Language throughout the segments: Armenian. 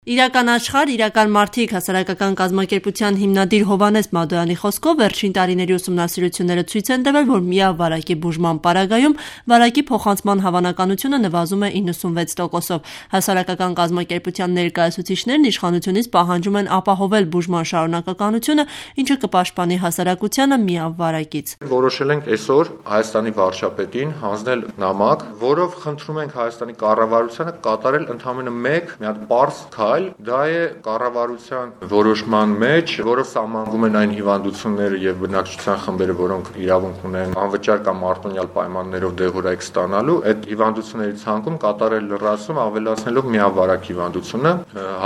Իրական աշխարհ, իրական մարդիկ հասարակական կազմակերպության հիմնադիր Հովհաննես Մադոյանի խոսքով վերջին տարիների ուսումնասիրությունները ցույց են տվել, որ միավ վարակի բուժման պարագայում վարակի փոխանցման հավանականությունը նվազում է 96%-ով։ Հասարակական կազմակերպության ներկայացուցիչներն իշխանությունից պահանջում են ապահովել բուժման շարունակականությունը, ինչը կպաշտպանի հասարակությանը միավ վարակից։ Որոշել ենք այսօր Հայաստանի վարչապետին հանձնել նամակ, որով խնդրում ենք Հայաստանի կառավարությանը կատարել ընդամենը մեկ մի հատ պարզ դա է կառավարության որոշման մեջ, որով սահմանվում են այն հիվանդությունները եւ բնակչության խմբերը, որոնք իրավունք ունեն անվճար կամ արտոնյալ պայմաններով դեղորայք ստանալու, այդ հիվանդությունների ցանկում կատարել լրացում, ավելացնելով միավարակ հիվանդությունը,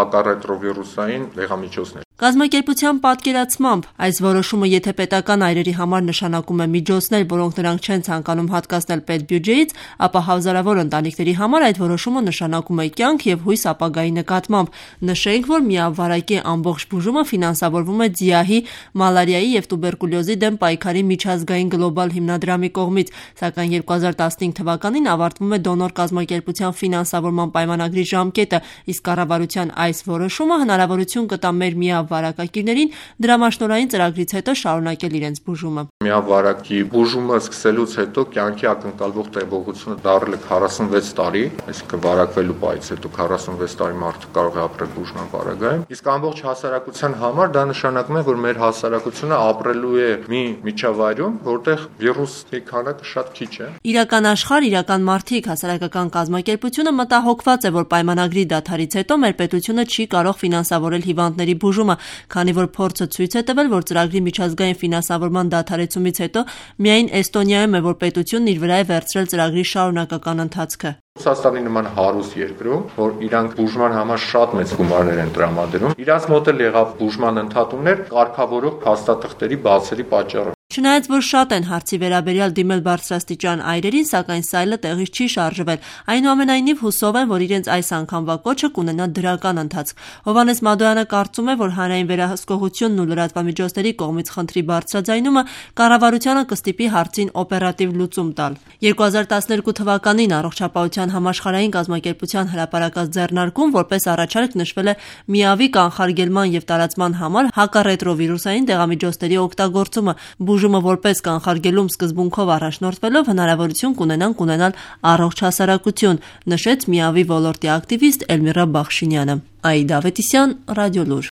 հակառետրովիրուսային դեղամիջոցներ։ Կազմակերպության պատկերացմամբ այս որոշումը եթե պետական այրերի համար նշանակում է միջոցներ, որոնք նրանք չեն ցանկանում հատկացնել պետբյուջեից, ապա հազարավոր ընտանիքների համար այդ որոշումը նշանակում է կյանք եւ հույս ապագայի նկատմամբ։ Նշենք, որ միավարակի ամբողջ բուժումը ֆինանսավորվում է ՁԻԱՀ-ի, մալարիայի եւ տուբերկուլյոզի դեմ պայքարի միջազգային գլոբալ հիմնադրամի կողմից, սակայն 2015 թվականին ավարտվում է դոնոր կազմակերպության ֆինանսավորման պայմանագրի ժամկետը, իսկ կառավարության այս որոշումը հնարավորություն կտա մեր միավարակակիրներին դրամաշնորհային ծրագրից հետո շարունակել իրենց բուժումը։ Միավարակի բուժումը սկսելուց հետո կյանքի ակնկալվող տևողությունը դառել է 46 տարի, այսինքն վարակվելու պահից հետո 46 տարի մարդը կարող է ապրել բուժման պարագայում, իսկ ամբողջ հասարակության համար դա նշանակում է, որ մեր հասարակությունը ապրելու է մի միջավայրում, որտեղ վիրուսի քանակը շատ քիչ է։ Իրական աշխարհ, իրական մարդիկ հասարակական կազմակերպությունը մտահոգված է, որ պայմանագրի դադարից հետո մեր պետությունը չի կարող ֆինանսավորել հիվանդների բուժումը, քանի որ փորձը ցույց է տվել, որ ծրագրի միջազգային ֆինանսավորման դադարեցումից հետո միայն Էստոնիայում է, որ պետությունն իր վրա է վերցրել ծրագրի շարունակական ընթացքը։ Ռուսաստանի նման հարուստ երկրում, որ իրանք բուժման համար շատ մեծ գումարներ են տրամադրում, իրանց մոտ էլ եղավ բուժման ընդհատումներ կարգավորող փաստաթղթերի բացերի պատճառով։ Չնայած որ շատ են հարցի վերաբերյալ դիմել բարձրաստիճան այրերին, սակայն սայլը տեղից չի շարժվել։ Այնուամենայնիվ հուսով են, որ իրենց այս անգամվա կոչը կունենա դրական ընթացք։ Հովհաննես Մադոյանը կարծում է, որ հանրային վերահսկողությունն ու լրատվամիջոցների կողմից խնդրի բարձրաձայնումը կառավարությանը կստիպի հարցին օպերատիվ լուծում տալ։ 2012 թվականին Առողջապահության համաշխարհային կազմակերպության հրապարակած ձեռնարկում որպես առաջարկ նշվել է միավի կանխարգելման եւ տարածման համար հակառետրովիրուսային դեղամիջոցների օգտագործումը։ Բուժումը որպես կանխարգելում սկզբունքով առաջնորդվելով հնարավորություն կունենան ունենալ առողջ հասարակություն, նշեց միավի ոլորտի ակտիվիստ Էլմիրա Բախշինյանը։ Աիդա Ավետիսյան, Ռադիոլուր։